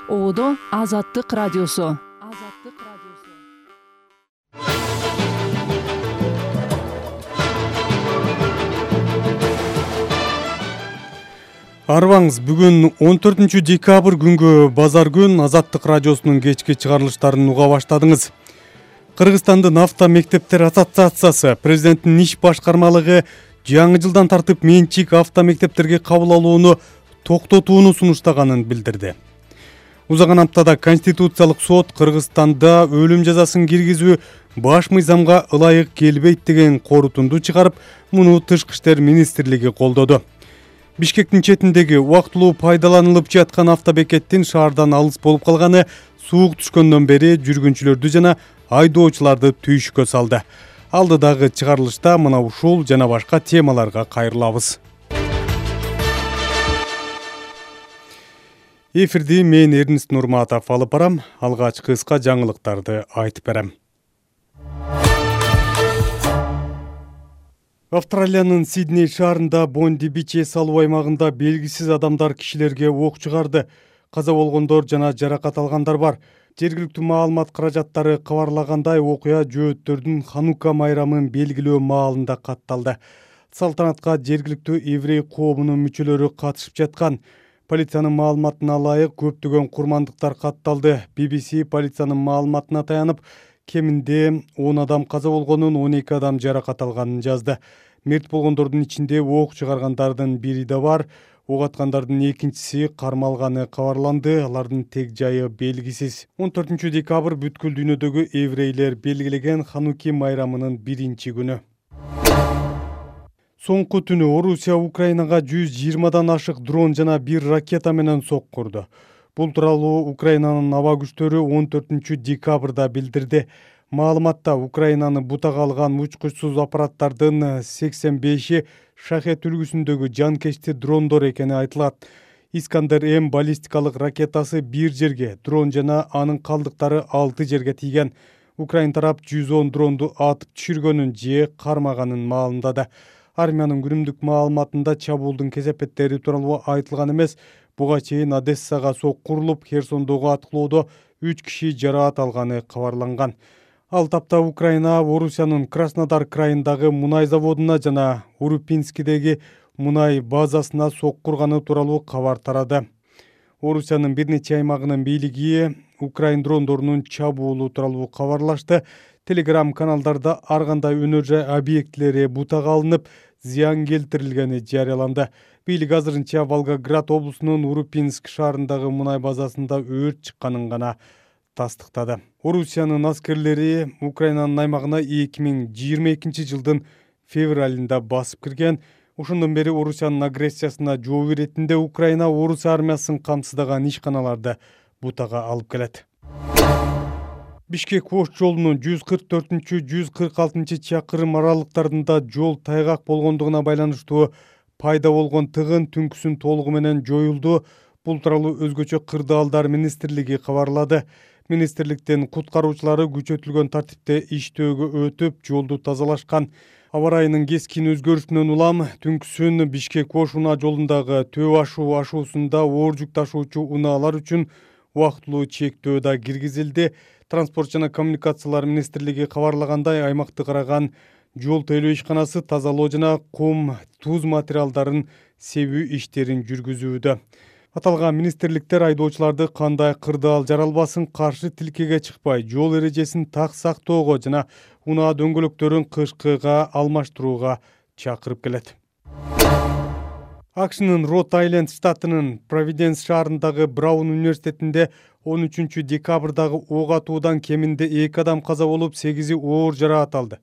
Одо Азаттык радиосу. Арбаңыз, бүгүн 14 декабрь күнгө базар күн Азаттык радиосунун кечки чыгарылыштарын уга баштадыңыз. Кыргызстандын автомектептер ассоциациясы президенттин иш башкармалыгы жаңы жылдан тартып менчик автомектептерге кабыл алууну токтотууну сунуштаганын билдирди. Узаган аптада Конституциялык сот Кыргызстанда өлүм жазасын киргизүү баш мыйзамга ылайык келбейт деген корутунду чыгарып, муну Тышкы иштер министрлиги колдоду. Бишкектин четиндеги убактылуу пайдаланылып жаткан автобекеттин шаардан алыс болуп калганы суук түшкөндөн бери жүргүнчүлөрдү жана айдоочуларды түйшүккө салды. Алдыдагы чыгарылышта мына ушул жана башка темаларга кайрылабыз. Эфирди мен Эрнис Нурматов алып барам. Алгач кыска жаңылыктарды айтып берем. Австралиянын Сидней шаарында Бонди Бич эс алуу аймагында белгисиз адамдар кишилерге ок чыгарды. Каза болгондор жана жаракат алгандар бар. Жергиликтүү маалымат каражаттары кабарлагандай, окуя жөөттөрдүн Ханука майрамын белгилөө маалында катталды. Салтанатка жергиликтүү еврей коомунун мүчөлөрү катышып жаткан. Полициянын маалыматына ылайык көптөгөн курмандыктар катталды. BBC полициянын маалыматына таянып, кеминде 10 адам каза болгонун, 12 адам жаракат алганын жазды. Мерт болгондордун ичинде ок чыгаргандардын бири да бар. Ок аткандардын экинчиси кармалганы кабарланды. Алардын тег жайы белгисиз. 14 декабрь бүткүл дүйнөдөгү еврейлер белгилеген Хануки майрамынын биринчи күнү. Соңку түнү Орусия Украинага 120дан ашык дрон жана 1 ракета менен соккурду. Бул тууралуу Украинанын аба күчтөрү 14 декабрда билдирди. Маалыматта Украинаны бутага алган учкучсуз аппараттардын 85и Шахет үлгүсүндөгү жанкечти дрондор экени айтылат. Искандер-М баллистикалык ракетасы 1 жерге, дрон жана анын калдыктары 6 жерге тийген. Украин тарап 110 дронду атып түшүргөнүн же кармаганын маалымдады. Армиянын күнүмдүк маалыматында чабуулдун кесепеттери тууралуу айтылган эмес. Буга чейин Одессага соккурулуп, Херсондогу аткылоодо 3 киши жараат алганы кабарланган. Ал тапта Украина Орусиянын Краснодар крайындагы мунай заводуна жана Урупинскидеги мунай базасына соккурганы тууралуу кабар тарады. Орусиянын бир нече аймагынын бийлиги Украин дрондорунун чабуулу тууралуу кабарлашты. Телеграм каналдарда ар кандай өнөр жай объектилери бутага алынып, зыян келтирилгени жарыяланды. Бийлик азырынча Волгоград облусунун Урупинск шаарындагы мунай базасында өрт чыкканын гана тастыктады. Орусиянын аскерлери Украинанын аймагына 2022 жылдын февралында басып кирген. Ошондон бери Орусиянын агрессиясына жооп иретинде Украина Орус армиясын камсыздаган ишканаларды бутага алып келет. Бишкек-Ош жолунун 144-146 чакырым аралыктарында жол тайгак болгондугуна байланыштуу пайда болгон тыгын түнкүсүн толугу менен жоюлду. Бул тууралуу өзгөчө кырдаалдар министрлиги кабарлады. Министрликтин куткаруучулары күчөтүлгөн тартипте иштөөгө өтүп, жолду тазалашкан. Аба ырайынын кескин өзгөрүшүнөн улам түнкүсүн Бишкек-Ош унаа жолундагы Төө ашуу ашуусунда оор жүк ташуучу унаалар үчүн убактылуу чектөө да киргизилди. Транспорт жана коммуникациялар министрлиги кабарлагандай, аймакты караган жол тейлөө ишканасы тазалоо жана кум, туз материалдарын себүү иштерин жүргүзүүдө. Аталган министрликтер айдоочуларды кандай кырдаал жаралбасын каршы тилкеге чыкпай, жол эрежесин так сактоого жана унаа дөңгөлөктөрүн кышкыга алмаштырууга чакырып келет. АКШнын Род-Айленд штатынын Провиденс шаарындагы Браун университетинде 13 декабрдагы ок атуудан кеминде 2 адам каза болуп, 8и оор жараат алды.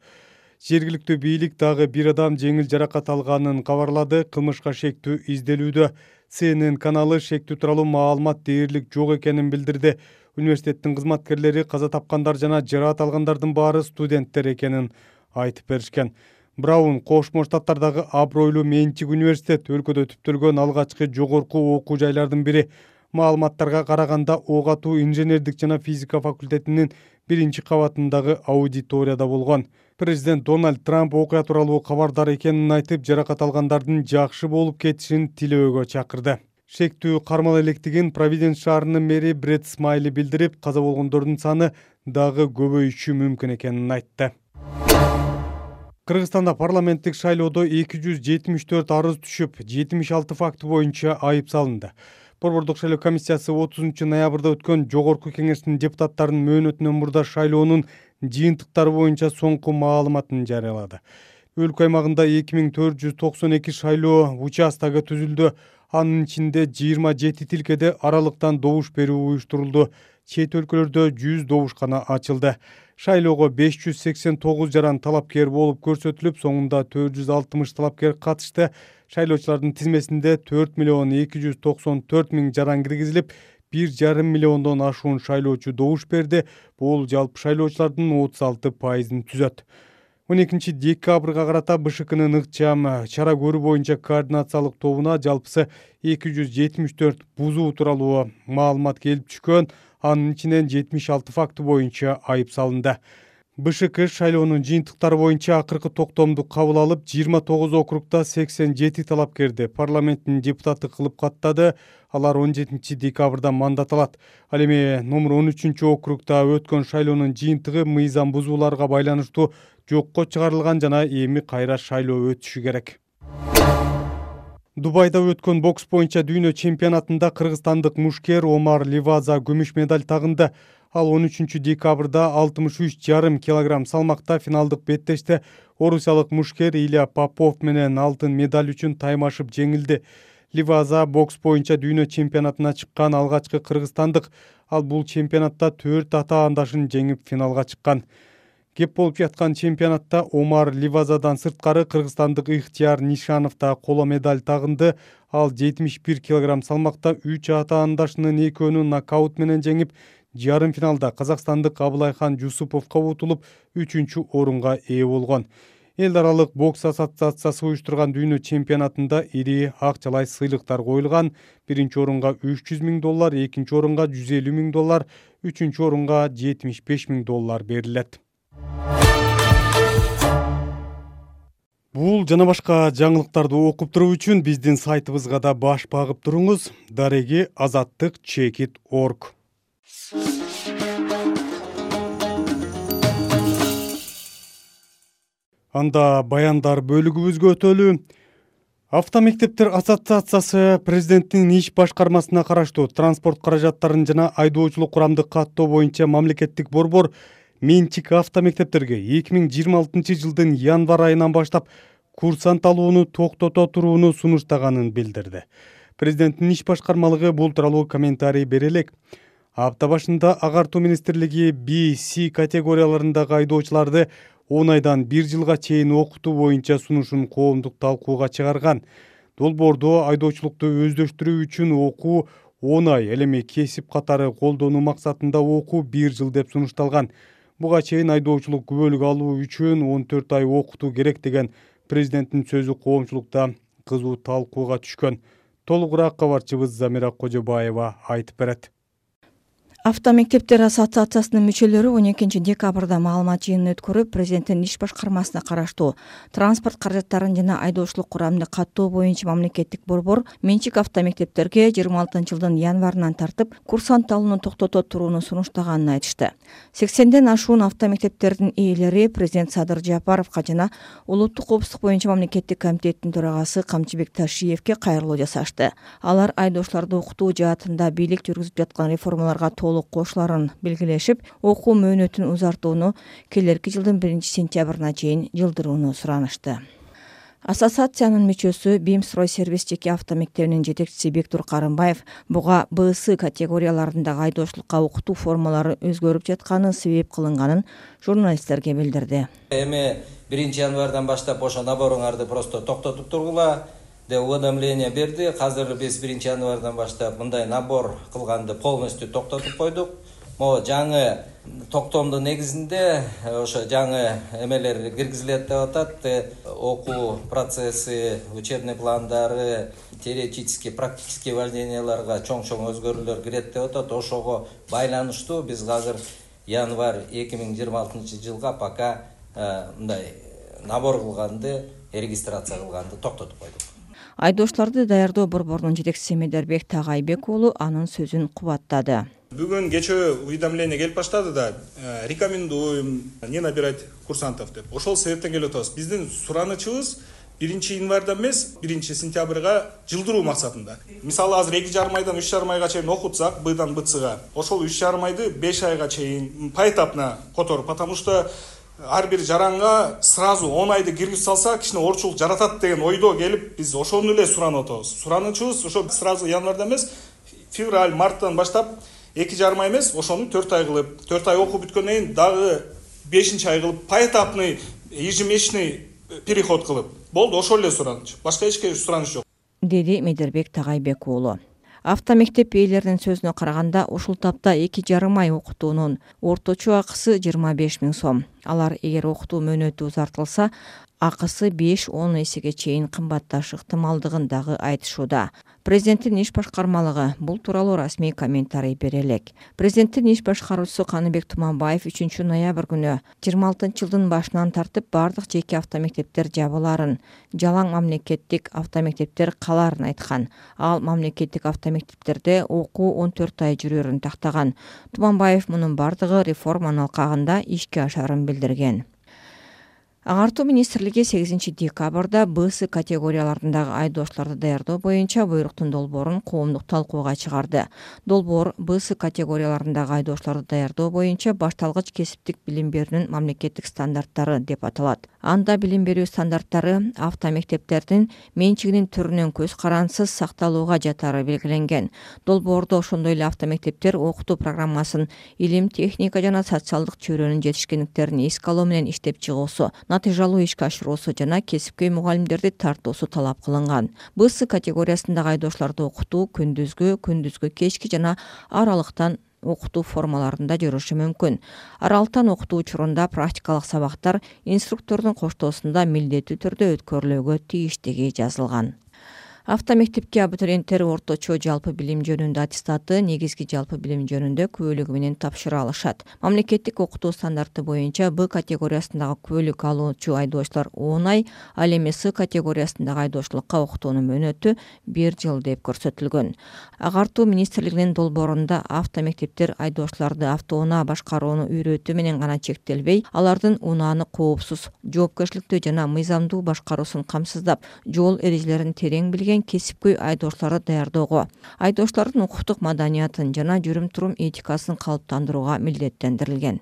Жергиликтүү бийлик дагы 1 адам жеңил жаракат алганын кабарлады. Кылмышка шектүү изделүүдө. CNN каналы шектүү тууралуу маалымат дээрлик жок экенин билдирди. Университеттин кызматкерлери каза тапкандар жана жараат алгандардын баары студенттер экенин айтып беришкен. Браун Кошмо Штаттардагы абройлуу менчик университет, өлкөдө түптөлгөн алгачкы жогорку окуу жайлардын бири. Маалыматтарга караганда ок атуу инженердик жана физика факультетинин 1-кабатындагы аудиторияда болгон. Президент Дональд Трамп окуя тууралуу кабардар экенин айтып, жаракат алгандардын жакшы болуп кетишин тилөөгө чакырды. шектүү кармала электигин Провиденс шаарынын мэри Бред Смайли билдирип, каза болгондордун саны дагы көбөйүшү мүмкүн экенин айтты. Кыргызстанда парламенттик шайлоодо 274 арыз түшүп, 76 факты боюнча айып салынды. Борбордук шайлоо комиссиясы 30 ноябрда өткөн жогорку кеңештин депутаттарынын мөөнөтүнөн мурда шайлоонун жыйынтыктары боюнча соңку маалыматын жарыялады. Өлкө аймагында 2492 шайлоо участогу түзүлдү. Анын ичинде 27 тилкеде аралыктан добуш берүү уюштурулду. Чет өлкөлөрдө 100 добушкана ачылды. Шайлоого 589 жаран талапкер болуп көрсөтүлүп, соңунда 460 талапкер катышты. Шайлоочулардын тизмесинде 4,294,000 жаран киргизилип, 1,5 миллиондон ашуун шайлоочу добуш берди. Бул жалпы шайлоочулардын 36%-ын түзөт. 12 декабрга карата БШКнын ыкчам чара көрүү боюнча координациялык тобуна жалпысы 274 бузуу тууралуу маалымат келип түшкөн. Анын ичинен 76 факты боюнча айып салынды. БШК шайлоонун жыйынтыктары боюнча акыркы токтомду кабыл алып, 29 округда 87 талапкерди парламенттин депутаты кылып каттады. Алар 17 декабрда мандат алат. Ал эми номер 13 округда өткөн шайлоонун жыйынтыгы мыйзам бузууларга байланыштуу жокко чыгарылган жана эми кайра шайлоо өтүшү керек. Дубайда өткөн бокс боюнча дүйнө чемпионатында кыргызстандык мушкер Омар Ливаза күмүш медаль тагынды. Ал 13 декабрда 63,5 килограмм салмакта финалдык беттеште орусиялык мушкер Илья Попов менен алтын медаль үчүн таймашып жеңилди. Ливаза бокс боюнча дүйнө чемпионатына чыккан алгачкы кыргызстандык. Ал бул чемпионатта 4 атаандашын жеңип финалга чыккан. Кеп болуп жаткан чемпионатта Омар Ливазадан сырткары кыргызстандык Ихтияр Нишанов да коло медаль тагынды. Ал 71 килограмм салмакта 3 атаандашынын экөөнүн нокаут менен жеңип, жарым финалда казакстандык Абылайхан Жусуповго утулуп 3-чү орунга ээ болгон. Эл аралык бокс ассоциациясы уюштурган дүйнө чемпионатында ири акчалай сыйлыктар коюлган. Биринчи орунга $300,000, экинчи орунга $150,000, үчүнчү орунга $75,000 берилет. Бул жана башка жаңылыктарды окуп туруу үчүн биздин сайтыбызга да баш багып туруңуз. Дареги azattik.org. Анда баяндар бөлүгүбүзгө өтөлү. Автомектептер ассоциациясы президенттин иш башкармасына караштуу транспорт каражаттарын жана айдоочулук курамды каттоо боюнча мамлекеттик борбор менчик автомектептерге 2026 жылдын январь айынан баштап курсант алууну токтото турууну сунуштаганын билдирди. Президенттин иш башкармалыгы бул тууралуу комментарий бере элек. Апта башында Агартуу министрлиги B-C категорияларындагы айдоочуларды 10 айдан 1 жылга чейин окутуу боюнча сунушун коомдук талкууга чыгарган. Долбоордо айдоочулукту өздөштүрүү үчүн окуу 10 ай, ал эми кесип катары колдонуу максатында окуу 1 жыл деп сунушталган. Буга чейин айдоочулук күбөлүк алуу үчүн 14 ай окутуу керек деген президенттин сөзү коомчулукта кызуу талкууга түшкөн. Толугураак кабарчыбыз Замира Кожобаева айтып берет. Автомектептер ассоциациясынын мүчөлөрү 12 декабрда маалымат жыйынын өткөрүп, президенттин иш башкармасына караштуу транспорт каражаттарын жана айдоочулук курамды каттоо боюнча мамлекеттик борбор менчик автомектептерге 26 жылдын январынан тартып курсант алууну токтото турууну сунуштаганын айтышты. 80ден ашуун автомектептердин ээлери президент Садыр Жапаровго жана улуттук коопсуздук боюнча мамлекеттик комитеттин төрагасы Камчыбек Ташиевке кайрылуу жасашты. Алар айдоочуларды окутуу жаатында бийлик жүргүзүп жаткан реформаларга кошуларын белгилешип, окуу мөөнөтүн узартууну келерки жылдын 1-сентябрына чейин жылдырууну суранышты. Ассоциациянын мүчөсү Бимстройсервис жеке автомектебинин жетекчиси Бектур Карымбаев буга БС категорияларындагы айдоочулукка окутуу формалары өзгөрүп жатканы себеп кылынганын журналисттерге билдирди. Эми 1 январдан баштап ошо наборыңарды просто токтотуп тургула деп уведомление берди. Азыр биз 1 январдан баштап мындай набор кылганды полностью токтотуп койдук. Могу жаңы токтомдун негизинде ошо жаңы эмелер киргизилет деп атат. Окуу процесси, учебный пландары, теоретический, практический вожденияларга чоң-чоң өзгөрүүлөр кирет деп атат. Ошого байланыштуу биз азыр январь 2026 жылга пока мындай набор кылганды, регистрация кылганды токтотуп койдук. Айдоочуларды даярдоо борборунун жетекчиси Медербек Тагайбек уулу анын сөзүн кубаттады. Бүгүн кечээ уведомление келип баштады да, рекомендуем не набирать курсантов деп. Ошол себептен келип атабыз. Биздин суранычыбыз 1 январдан эмес, 1 сентябрга жылдыруу максатында. Мисалы азыр 2,5 айдан 3,5 айга чейин окутсак, быдан бытсыга, ошол 3,5 айды 5 айга чейин поэтапно которуп, потому что ар бир жаранга сразу 10 айды киргизип салса, кичине орчулук жаратат деген ойдо келип, биз ошону эле суранып атабыз. Суранычыбыз ошо сразу январдан эмес, февраль, марттан баштап 2,5 ай эмес, ошону 4 ай кылып, 4 ай окуп бүткөндөн кийин дагы 5 ай кылып, поэтапный, ежемесячный переход кылып. Болду, ошол эле сураныч. Башка эч сураныч жок. Деди Медербек Тагайбек уулу. Автомектеп ээлеринин сөзүнө караганда, ушул тапта 2,5 ай окутуунун орточо акысы 25 000 сом. Алар эгер окутуу мөөнөтү узартылса, акысы 5-10 эсеге чейин кымбатташы ыктымалдыгын дагы айтышууда. Президенттин иш башкармалыгы бул тууралуу расмий комментарий бере элек. Президенттин иш башкаруучусу Каныбек Туманбаев 3 ноябрь күнү 26-жылдын башынан тартып бардык жеке автомектептер жабыларын, жалаң мамлекеттик автомектептер каларын айткан. Ал мамлекеттик автомектептерде окуу 14 ай жүрөрүн тактаган. Туманбаев мунун бардыгы реформанын алкагында ишке ашарын билдирген. Агартуу министрлиги 8 декабрда БС категорияларындагы айдоочуларды даярдоо боюнча буйруктун долбоорун коомдук талкууга чыгарды. Долбоор БС категорияларындагы айдоочуларды даярдоо боюнча башталгыч кесиптик билим берүүнүн мамлекеттик стандарттары деп аталат. Анда билим берүү стандарттары автомектептердин менчигинин түрүнөн көз карансыз сакталууга жатары белгиленген. Долбоордо ошондой эле автомектептер окутуу программасын илим, техника жана социалдык чөйрөнүн жетишкендиктерин эске алуу менен иштеп чыгуусу, натыйжалуу ишке ашыруусу жана кесипкөй мугалимдерди тартуусу талап кылынган. БС категориясындагы айдоочуларды окутуу күндүзгү, кечки жана аралыктан окутуу формаларында жүрүшү мүмкүн. Аралыктан окутуу учурунда практикалык сабактар инструктордун коштоосунда милдеттүү түрдө өткөрүлүүгө тийиштиги жазылган. Автомектепке абитуриенттер орточо жалпы билим жөнүндө аттестаты, негизги жалпы билим жөнүндө күбөлүгү менен тапшыра алышат. Мамлекеттик окутуу стандарты боюнча Б категориясындагы күбөлүк алуучу айдоочулар 10 ай, ал эми С категориясындагы айдоочулукка окутуунун мөөнөтү 1 жыл деп көрсөтүлгөн. Агартуу министрлигинин долбоорунда автомектептер айдоочуларды автоунаа башкарууну үйрөтүү менен гана чектелбей, алардын унааны коопсуз, жоопкерчиликтүү жана мыйзамдуу башкаруусун камсыздап, жол эрежелерин терең билген кесипкөй айдоочуларды даярдоого, айдоочулардын укуктук маданиятын жана жүрүм-турум этикасын калыптандырууга милдеттендирилген.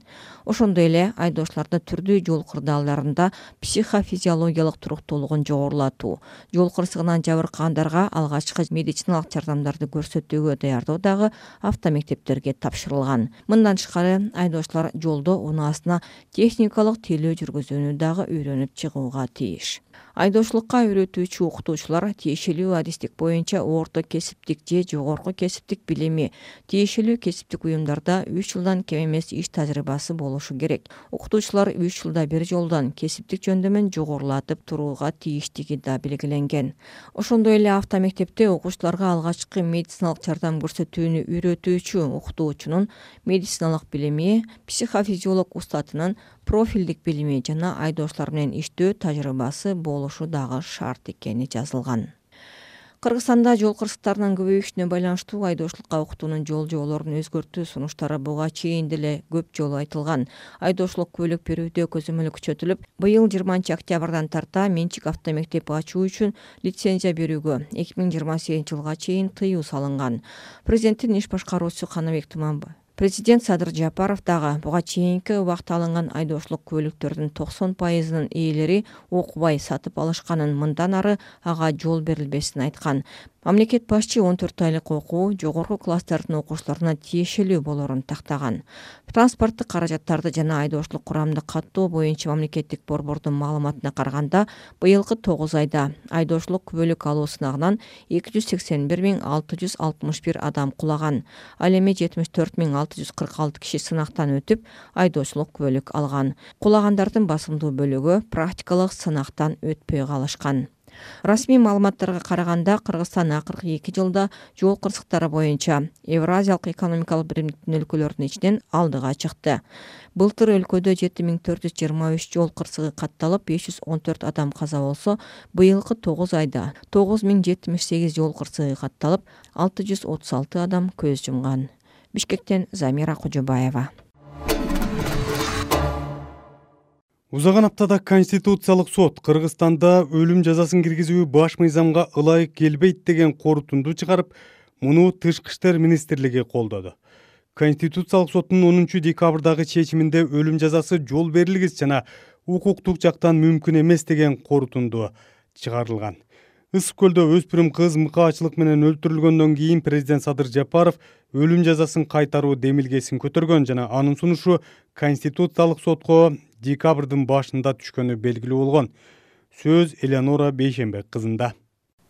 Ошондой эле айдоочуларды түрдүү жол кырдаалдарында психофизиологиялык туруктуулугун жогорулатуу, жол кырсыгынан жабыркагандарга алгачкы медициналык жардамдарды көрсөтүүгө даярдоо дагы автомектептерге тапшырылган. Мындан тышкары айдоочулар жолдо унаасына техникалык тейлөө жүргүзүүнү дагы үйрөнүп чыгууга тийиш. Айдоочулукка үйрөтүүчү окутуучулар тиешелүү адистик боюнча орто кесиптик же жогорку кесиптик билими, тиешелүү кесиптик уюмдарда 3 жылдан кем эмес иш тажрыйбасы болушу керек. Окутуучулар 3 жылда бир жолдон кесиптик жөндөмүн жогорулатып турууга тийиштиги да белгиленген. Ошондой эле автомектепте окуучуларга алгачкы медициналык жардам көрсөтүүнү үйрөтүүчү окутуучунун медициналык билими, психофизиолог устатынын профилдик билими жана айдоочулар менен иштөө тажрыйбасы болушу дагы шарт экени жазылган. Кыргызстанда жол кырсыктарынын көбөйүшүнө байланыштуу айдоочулукка окутуунун жол-жоболорун өзгөртүү сунуштары буга чейин деле көп жолу айтылган. Айдоочулук куөлүк берүүдө көзөмөл күчөтүлүп, быйыл 20 октябрдан тарта менчик автомектеп ачуу үчүн лицензия берүүгө 2028 жылга чейин тыюу салынган. Президенттин иш башкаруучусу Каныбек Туманбаев, Президент Садыр Жапаров дагы буга чейинки убакта алынган айдоочулук көлүктөрдүн 90%-нын ээлери окубай сатып алышканын, мындан ары ага жол берилбесин айткан. Мамлекет башчы 14 айлык окуу жогорку класстардын окуучуларына тиешелүү болорун тактаган. Транспорттук каражаттарды жана айдоочулук курамды каттоо боюнча мамлекеттик борбордун маалыматына караганда, быйылкы 9 айда айдоочулук күбөлүк алуу сынагынан 281 661 адам кулаган. Ал эми 74 646 киши сынактан өтүп, айдоочулук күбөлүк алган. Кулагандардын басымдуу бөлүгү практикалык сынактан өтпөй калышкан. Расмий маалыматтарга караганда Кыргызстан акыркы 2 жылда жол кырсыктары боюнча Евразиялык экономикалык биримдиктин өлкөлөрүнүн ичинен алдыга чыкты. Былтыр өлкөдө 7423 жол кырсыгы катталып, 514 адам каза болсо, быйылкы 9 айда 9078 жол кырсыгы катталып, 636 адам көз жумган. Бишкектен Замира Кожобаева. Узаган аптада Конституциялык сот Кыргызстанда өлүм жазасын киргизүү баш мыйзамга ылайык келбейт деген корутунду чыгарып, муну Тышкы иштер министрлиги колдоду. Конституциялык соттун 10 декабрдагы чечиминде өлүм жазасы жол берилгис жана укуктук жактан мүмкүн эмес деген корутунду чыгарылган. Ысык көлдө өспүрүм кыз мыкаачылык менен өлтүрүлгөндөн кийин президент Садыр Жапаров өлүм жазасын кайтаруу демилгесин көтөргөн жана анын сунушу Конституциялык сотко декабрдын башында түшкөнү белгилүү болгон. Сөз Элеонора Бейшенбек кызында.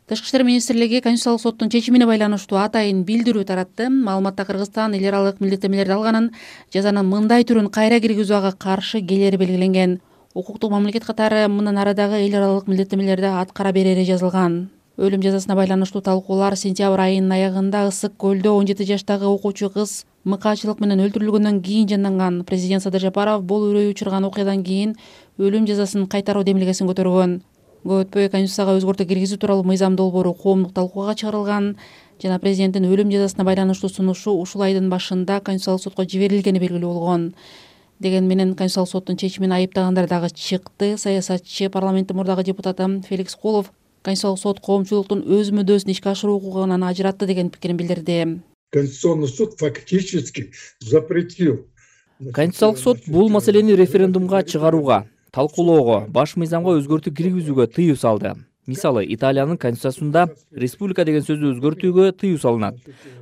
Тышкы иштер министрлиги Конституциялык соттун чечимине байланыштуу атайын билдирүү таратты. Маалыматта Кыргызстан эл аралык милдеттенмелерди алганын, жазанын мындай түрүн кайра киргизүүгө каршы келери белгиленген. Укуктук мамлекет катары мындан арадагы эл аралык милдеттенмелерди аткара берери жазылган. Өлүм жазасына байланыштуу талкуулар сентябрь айынын аягында Ысык көлдө 17 жаштагы окуучу кыз мыкаачылык менен өлтүрүлгөндөн кийин жанданган. Президент Садыр Жапаров бул үрөй учурган окуядан кийин өлүм жазасын кайтаруу демилгесин көтөргөн. Көп өтпөй Конституцияга өзгөртүү киргизүү тууралуу мыйзам долбоору коомдук талкууга чыгарылган жана президенттин өлүм жазасына байланыштуу сунушу ушул айдын башында Конституциялык сотко жиберилгени белгилүү болгон. Деген менен Конституциялык соттун чечимин айыптагандар дагы чыкты. Саясатчы, парламенттин мурдагы депутаты Феликс Кулов Конституциялык сот коомчулуктун өз мүддөсүн ишке ашыруу укугунан ажыратты деген пикирин билдирди. Конституционный суд фактически запретил. Конституциялык сот бул маселени референдумга чыгарууга, талкуулоого, баш мыйзамга өзгөртүү киргизүүгө тыюу салды. Мисалы, Италиянын конституциясында республика деген сөздү өзгөртүүгө тыюу салынат.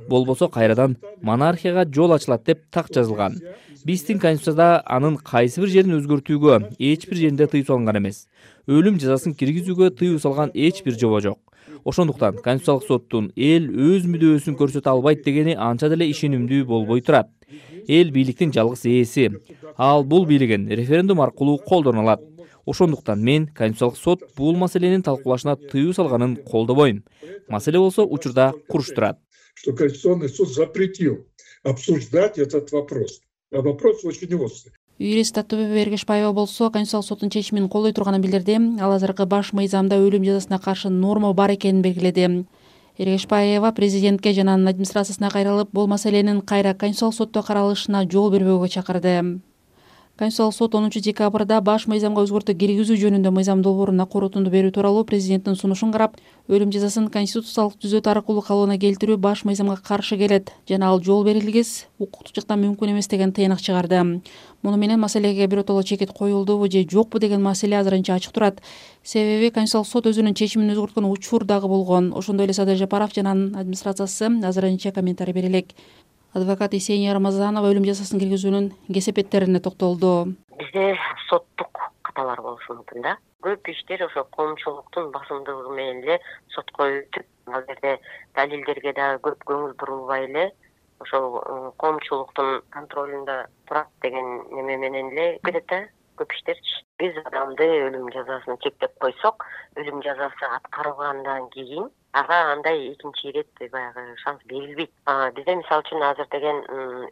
Болбосо кайрадан монархияга жол ачылат деп так жазылган. Биздин конституцияда анын кайсы бир жерин өзгөртүүгө эч бир жеринде тыюу салынган эмес. Өлүм жазасын киргизүүгө тыюу салган эч бир жобо жок. Ошондуктан Конституциялык соттун эл өз мүдөөсүн көрсөтө албайт дегени анча деле ишенимдүү болбой турат. Эл бийликтин жалгыз ээси. Ал бул бийлигин референдум аркылуу колдоно алат. Ошондуктан мен Конституциялык сот бул маселенин талкуулашына тыюу салганын колдобойм. Маселе болсо учурда куруш турат. Что Конституционный суд запретил обсуждать этот вопрос. А вопрос очень острый. Юрист Аттубек Эргешбаева болсо Конституциялык соттун чечимин колдой турганын билдирди. Ал азыркы баш мыйзамда өлүм жазасына каршы норма бар экенин белгиледи. Эргешбаева президентке жана анын администрациясына кайрылып, бул маселенин кайра Конституциялык сотто каралышына жол бербөөгө чакырды. Конституциялык сот 10 декабрда баш мыйзамга өзгөртүү киргизүү жөнүндө мыйзам долбооруна корутунду берүү тууралуу президенттин сунушун карап, өлүм жазасын конституциялык түзөт аркылуу калыбына келтирүү баш мыйзамга каршы келет жана ал жол берилгис, укуктук жактан мүмкүн эмес деген тыйнак чыгарды. Муну менен маселеге биротоло чекит коюлдубу же жокпу деген маселе азырынча ачык турат. Себеби Конституциялык сот өзүнүн чечимин өзгөрткөн учур дагы болгон. Ошондой эле Садыр Жапаров жана анын администрациясы азырынча комментарий бере элек. Адвокат Есения Рамазанова өлүм жазасын киргизүүнүн кесепеттерине токтолду. Бизде соттук каталар болушу мүмкүн да. Көп иштер ошо коомчулуктун басымдыгы менен эле сотко өтүп, ал жерде далилдерге да көп көңүл бурулбай эле ошол коомчулуктун контролунда турат деген неме менен эле кетет да көп иштер. Биз адамды өлүм жазасын чектеп койсок, өлүм жазасы аткарылгандан кийин ага андай экинчи ирет баягы шанс берилбейт. Бизде мисалы үчүн азыр деген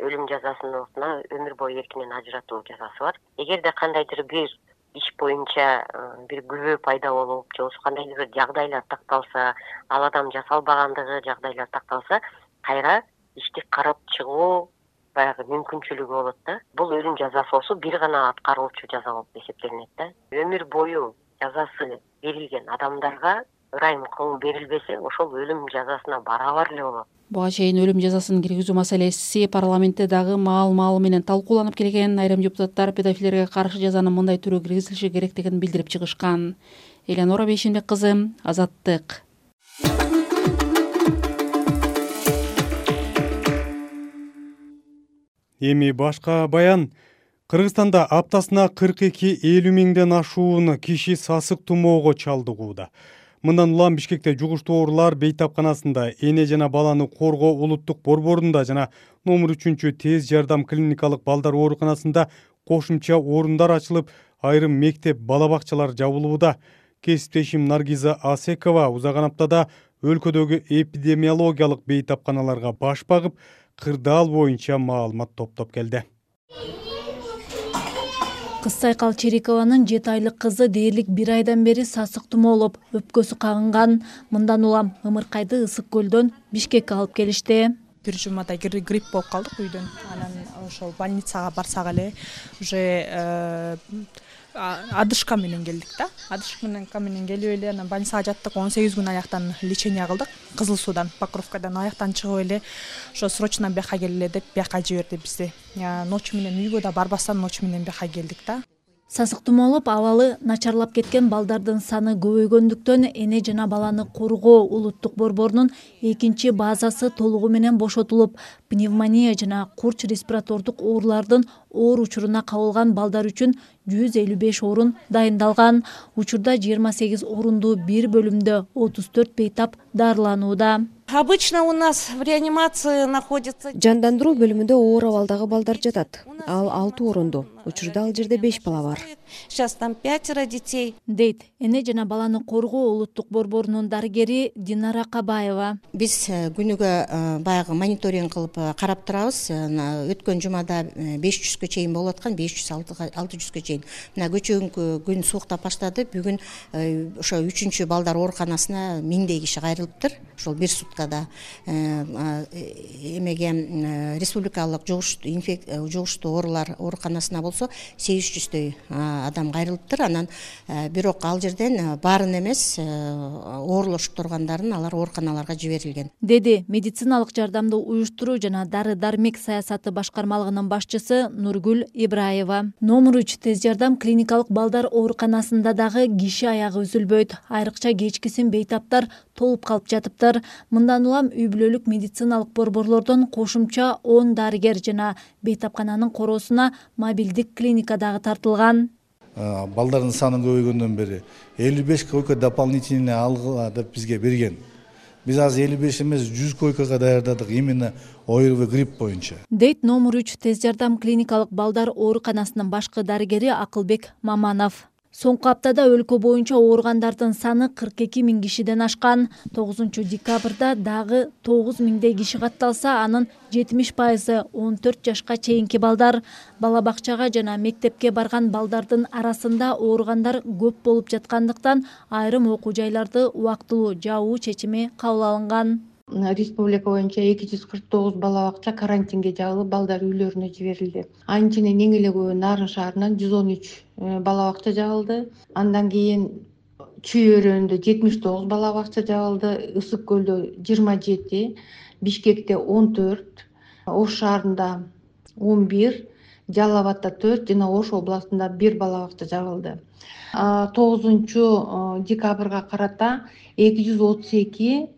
өлүм жазасынын ордуна өмүр бою эркинен ажыратуу жазасы бар. Эгерде кандайдыр бир иш боюнча бир күбө пайда болуп, же болбосо кандайдыр бир жагдайлар такталса, ал адам жасалбагандыгы жагдайлар такталса, кайра ишти карап чыгуу баягы мүмкүнчүлүгү болот да. Бул өлүм жазасы болсо бир гана аткаруучу жаза болуп эсептелинет да. Өмүр бою жазасы берилген адамдарга ырайым кылуу берилбесе, ошол өлүм жазасына барабар эле болот. Буга чейин өлүм жазасын киргизүү маселеси парламентте дагы маал менен талкууланып келген. Айрым депутаттар педофилерге каршы жазанын мындай түрү киргизилиши керектигин билдирип чыгышкан. Элеонора Бейшенбек кызы, Азаттык. Эми башка баян. Кыргызстанда аптасына 42-50 миңден ашуун киши сасык тумоого чалдыгууда. Мындан улам Бишкекте жугуштуу оорулар бейтапканасында, эне жана баланы коргоо улуттук борборунда жана номер 3 тез жардам клиникалык балдар ооруканасында кошумча орундар ачылып, айрым мектеп, бала бакчалар жабылууда. Кесиптешим Наргиза Асекова узаган аптада өлкөдөгү эпидемиологиялык бейтапканаларга баш багып, кырдаал боюнча маалымат топтоп келди. Кызсайкал Черикованын 7 айлык кызы дээрлик 1 айдан бери сасык тумоолоп, өпкөсү кагынган. Мындан улам ымыркайды Ысык көлдөн Бишкекке алып келишти. Бир жумада грипп болуп калдык үйдөн. Анан ошол больницага барсак эле уже адышка менен келдик да. Адышка менен келип эле анан больницага жаттык. 18 күн аяктан лечение кылдык. Кызыл суудан, Покровкадан аяктан чыгып эле ошо срочно бияка келе деп бияка жиберди бизди. Ночь менен үйгө да барбастан ночь менен бияка келдик да. Сасык тумоолоп абалы начарлап кеткен балдардын саны көбөйгөндүктөн эне жана баланы коргоо улуттук борборунун 2 базасы толугу менен бошотулуп, пневмония жана курч респиратордук оорулардын оор учуруна кабылган балдар үчүн 155 орун дайындалган. Учурда 28 орундуу бир бөлүмдө 34 бейтап дарыланууда. Обычно у нас в реанимации находится... Жандандыруу бөлүмүндө оор абалдагы балдар жатат. Ал 6 орундуу. Учурда ал жерде 5 бала бар. Сейчас там 5 детей. Дейт эне жана баланы коргоо улуттук борборунун дарыгери Динара Кабаева. Биз күнүгө баягы мониторинг кылып карап турабыз. Өткөн жумада 500гө чейин болуп аткан, 500-600гө чейин. Мына көчөгүнкү күн сууктап баштады. Бүгүн ошо 3-чү балдар ооруканасына 1000дей киши кайрылыптыр. Ошол бир суткада эмеге республикалык жугуштуу оорулар ооруканасына болсо 800дөй адам кайрылыптыр. Анан бирок ал жерден баарын эмес, оорлошуп тургандарын алар ооруканаларга жиберилген. Деди медициналык жардамды уюштуруу жана дары-дармек саясаты башкармалыгынын башчысы Нургүл Ибраева. Номер 3 тез жардам клиникалык балдар ооруканасында дагы киши аягы үзүлбөйт. Айрыкча кечкисин бейтаптар толуп калып жатыптыр. Мындан улам үй бүлөлүк медициналык борборлордон кошумча 10 дарыгер жана бейтапкананын короосуна мобилдик клиника дагы тартылган. Балдардын саны көбөйгөндөн бери 55 койка дополнительный алгыла деп бизге берген. Биз азыр 55 эмес 100 койкага даярдадык именно ОРВИ грипп боюнча. Дейт номер 3 тез жардам клиникалык балдар ооруканасынын башкы дарыгери Акылбек Маманов. Соңку аптада өлкө боюнча ооругандардын саны 42 000 кишиден ашкан. 9 декабрда дагы 9 000дей киши катталса, анын 70% 14 жашка чейинки балдар. Бала бакчага жана мектепке барган балдардын арасында ооругандар көп болуп жаткандыктан айрым окуу жайларды убактылуу жабуу чечими кабыл алынган. Республика боюнча 249 бала бакча карантинге жабылып, балдар үйлөрүнө жиберилди. Анын ичинен эң эле көбү Нарын шаарынан 113 бала бакча жабылды. Андан кийин Чүй өрөөнүндө 79 бала бакча жабылды, Ысык көлдө 27, Бишкекте 14, Ош шаарында 11, Жалал абадда 4 жана Ош областында 1 бала бакча жабылды. 9 декабрга карата 232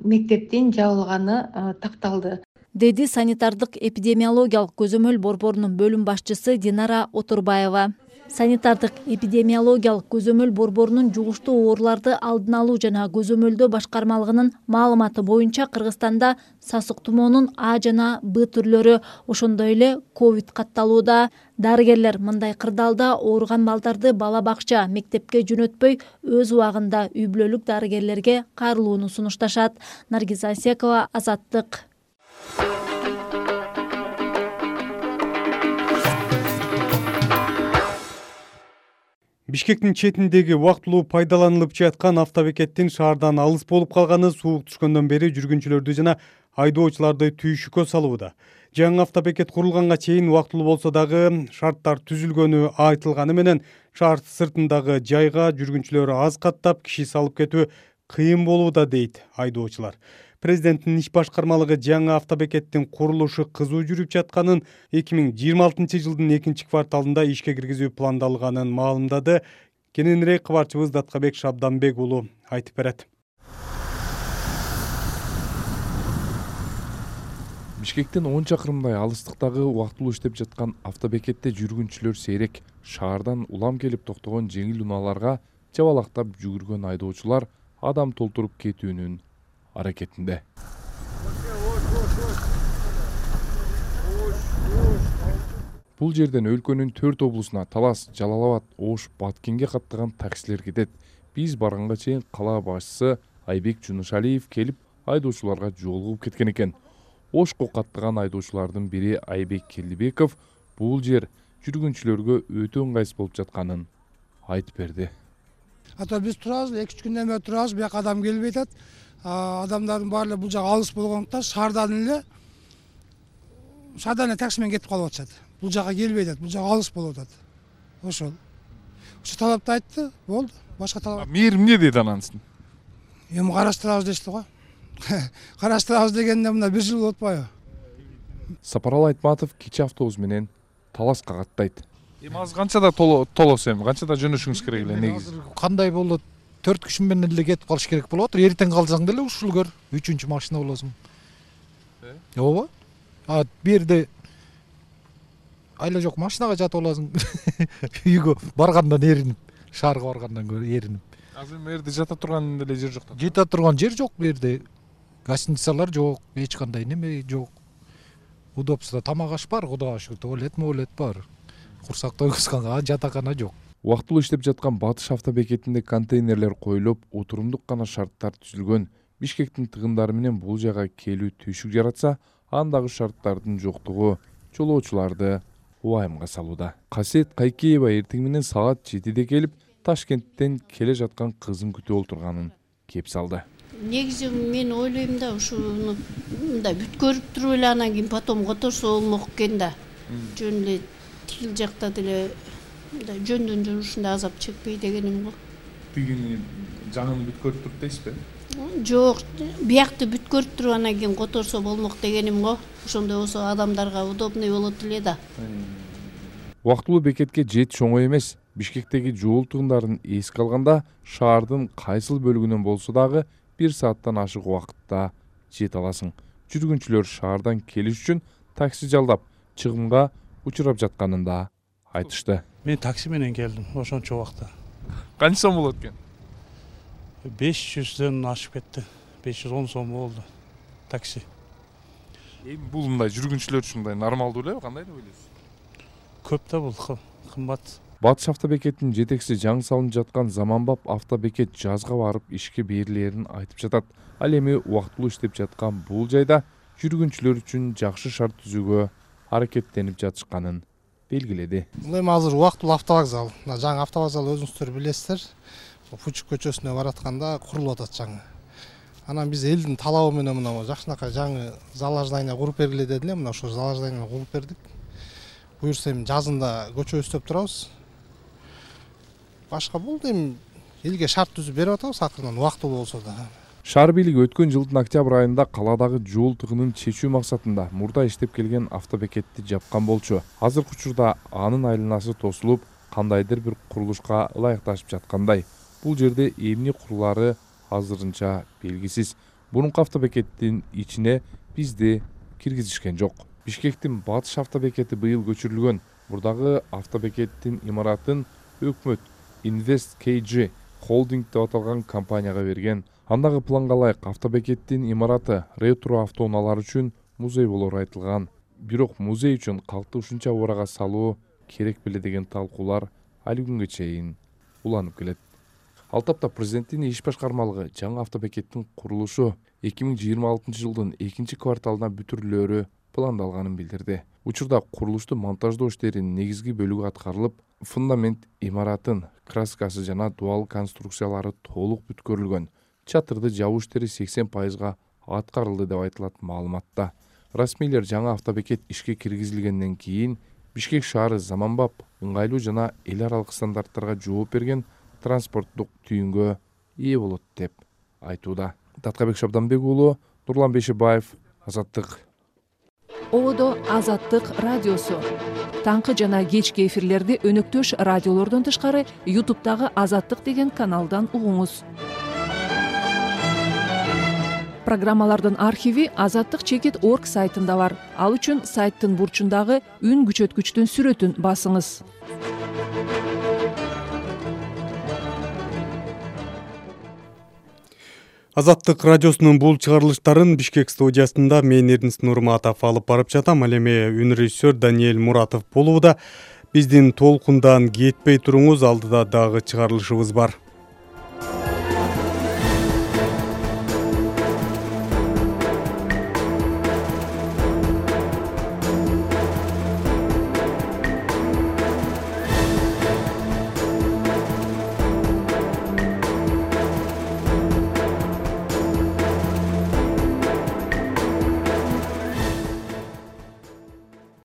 мектептин жабылганы такталды. Деди санитардык эпидемиологиялык көзөмөл борборунун бөлүм башчысы Динара Отурбаева. Санитардык эпидемиологиялык көзөмөл борборунун жугуштуу ооруларды алдын алуу жана көзөмөлдөө башкармалыгынын маалыматы боюнча Кыргызстанда сасык тумоонун А жана Б түрлөрү, ошондой эле ковид катталууда. Дарыгерлер мындай кырдаалда ооруган балдарды бала бакча, мектепке жөнөтпөй, өз убагында үй бүлөлүк дарыгерлерге кайрылууну сунушташат. Наргиза Асекова, Азаттык. Бишкектин четиндеги убактылуу пайдаланылып жаткан автобекеттин шаардан алыс болуп калганы суук түшкөндөн бери жүргүнчүлөрдү жана айдоочуларды түйшүккө салууда. Жаңы автобекет курулганга чейин убактылуу болсо дагы шарттар түзүлгөнү айтылганы менен шаар сыртындагы жайга жүргүнчүлөр аз каттап киши салып кетүү кыйын болууда дейт айдоочулар. Президенттин иш башкармалыгы жаңы автобекеттин курулушу кызуу жүрүп жатканын, 2026 жылдын 2-кварталында ишке киргизүү пландалганын маалымдады. Кененирээк кабарчыбыз Даткабек Шабданбек уулу айтып берет. Бишкектен 10 чакырымдай алыстыктагы убактылуу иштеп жаткан автобекетте жүргүнчүлөр сейрек. Шаардан улам келип токтогон жеңил унааларга жабалактап жүгүргөн айдоочулар адам толтуруп кетүүнүн аракетинде. Бул жерден өлкөнүн 4 облусуна Талас, Жалал Абад, Ош, Баткенге каттаган таксилер кетет. Биз барганга чейин кала башчысы Айбек Жунушалиев келип, айдоочуларга жолугуп кеткен экен. Ошко каттаган айдоочулардын бири Айбек Келдибеков бул жер жүргүнчүлөргө өтө ыңгайсыз болуп жатканын айтып берди. Ата биз турабыз, 2-3 күндөн бери турабыз, бияка адам келбей атат. Адамдардын баары бул жак алыс болгондуктан шаардан эле такси менен кетип калып атышат. Бул жака келбей атат, бул жак алыс болуп атат. Ошол талапты айтты, болду. Башка талап. Мээрим эмне деди анансын? Эми караштырабыз дешти го. Караштырабыз дегенде мына 1 жыл болуп атпайбы? Сапаралы Айтматов кечээ автобус менен Таласка каттайт. Эми азыр канчада толосу, эми канчада жөнөшүңүз керек эле негизи? Кандай болот? 4 күн менен эле кетип калыш керек болуп атыр. Эртең калсаң деле ушул көр, 3-үнчү машина болосуң. Ооба. Берде айла жок машинага жатып аласың. Үйгө баргандан эринип, шаарга баргандан көрө эринип. Азыр мерде жата турган деле жер жок. Жата турган жер жок берде. Гостиницалар жок, эч кандай неме жок. Удобство, тамак аш бар, Кудайга шүгүр, туалет бар. Курсак тойгузганга жатакана жок. Убактылуу иштеп жаткан Батыш автобекетинде контейнерлер коюлуп, отурумдук гана шарттар түзүлгөн. Бишкектин тыгындары менен бул жайга келүү түйшүк жаратса, андагы шарттардын жоктугу жолоочуларды убайымга салууда. Касиет Кайкеева эртең менен саат 7-де келип, Ташкенттен келе жаткан кызын күтүп отурганын кеп салды. Негизи мен ойлойм да, ушуну мындай бүткөрүп туруп эле анан кийин потом которсо болмок экен да. Жөн эле тил жакта деле мындай жөндөн жүрүшүндө азап чекпей дегеним го. Тигини жаңын бүткөрүп туруп дейсизби? Жок, биякты бүткөрүп туруп анан кийин которсо болмок дегеним го. Ошондой болсо адамдарга удобный болот эле да. Убактылуу бекетке жетиш оңой эмес. Бишкектеги жол тыгындарын эске алганда, шаардын кайсыл бөлүгүнөн болсо дагы 1 сааттан ашык убакытта жете аласың. Жүргүнчүлөр шаардан келиш үчүн такси жалдап, чыгымга учурап жатканын да айтышты. Мен такси менен келдим ошончо убакта. Канча сом болот экен? 500дөн ашып кетти. 510 сом болду такси. Эми бул мындай жүргүнчүлөр үчүн мындай нормалдуу элеби, кандай деп ойлойсуз? Көп да бул кымбат. Батыш автобекетинин жетекчиси жаңы салынып жаткан Заманбап автобекет жазга барып ишке берилерин айтып жатат. Ал эми убактылуу иштеп жаткан бул жайда жүргүнчүлөр үчүн жакшы шарт түзүүгө аракеттенип жатышканын белгиледи. Бул эми азыр убактылуу автовокзал. Жаңы автовокзал өзүңүздөр билесиздер. Пучук көчөсүнө баратканда курулуп атат жаңы. Анан биз элдин талабы менен мына жакшынакай жаңы зал здание куруп бергиле деди эле. Мына ошол зал зданиени куруп бердик. Буюрса эми жазында көчө өстөп турабыз. Башка болду эми элге шарт түзүп берип атабыз акырынан убактылуу болсо да. Шаар бийлиги өткөн жылдын октябрь айында каладагы жол тыгынын чечүү максатында мурда иштеп келген автобекетти жапкан болчу. Азыркы учурда анын айланасы тосулуп, кандайдыр бир курулушка ылайыкташып жаткандай. Бул жерде эмне курулары азырынча белгисиз. Мурунку автобекеттин ичине бизди киргизишкен жок. Бишкектин Батыш автобекети быйыл көчүрүлгөн. Мурдагы автобекеттин имаратын өкмөт Invest KG Holding деп аталган компанияга берген. Андагы планга ылайык автобекеттин имараты ретро автоунаалар үчүн музей болору айтылган. Бирок музей үчүн калкты ушунча урага салуу керек беле деген талкуулар али күнгө чейин уланып келет. Ал тапта президенттин иш башкармалыгы жаңы автобекеттин курулушу 2026 жылдын 2 кварталына бүтүрүлөөрү пландалганын билдирди. Учурда курулушту монтаждоо иштеринин негизги бөлүгү аткарылып, фундамент, имараттын краскасы жана дуал конструкциялары толук бүткөрүлгөн. Чатырды жабуу иштери 80% аткарылды деп айтылат маалыматта. Расмийлер жаңы автобекет ишке киргизилгенден кийин Бишкек шаары заманбап, ыңгайлуу жана эл аралык стандарттарга жооп берген транспорттук түйүнгө ээ болот деп айтууда. Таткабек Шабданбек уулу, Нурлан Бешибаев, Азаттык. Ободо Азаттык радиосу. Таңкы жана кечки эфирлерди өнөктөш радиолордон тышкары YouTube'дагы Азаттык деген каналдан угуңуз. Программалардын архиви azattik.org сайтында бар. Ал үчүн сайттын бурчундагы үн күчөткүчтүн сүрөтүн басыңыз. Азаттык радиосунун бул чыгарылыштарын Бишкек студиясында мен Эрнис Нурматов алып барып жатам. Ал эми үнрежиссер Даниэль Муратов болууда. Биздин толкундан кетпей туруңуз, алдыда дагы чыгарылышыбыз бар.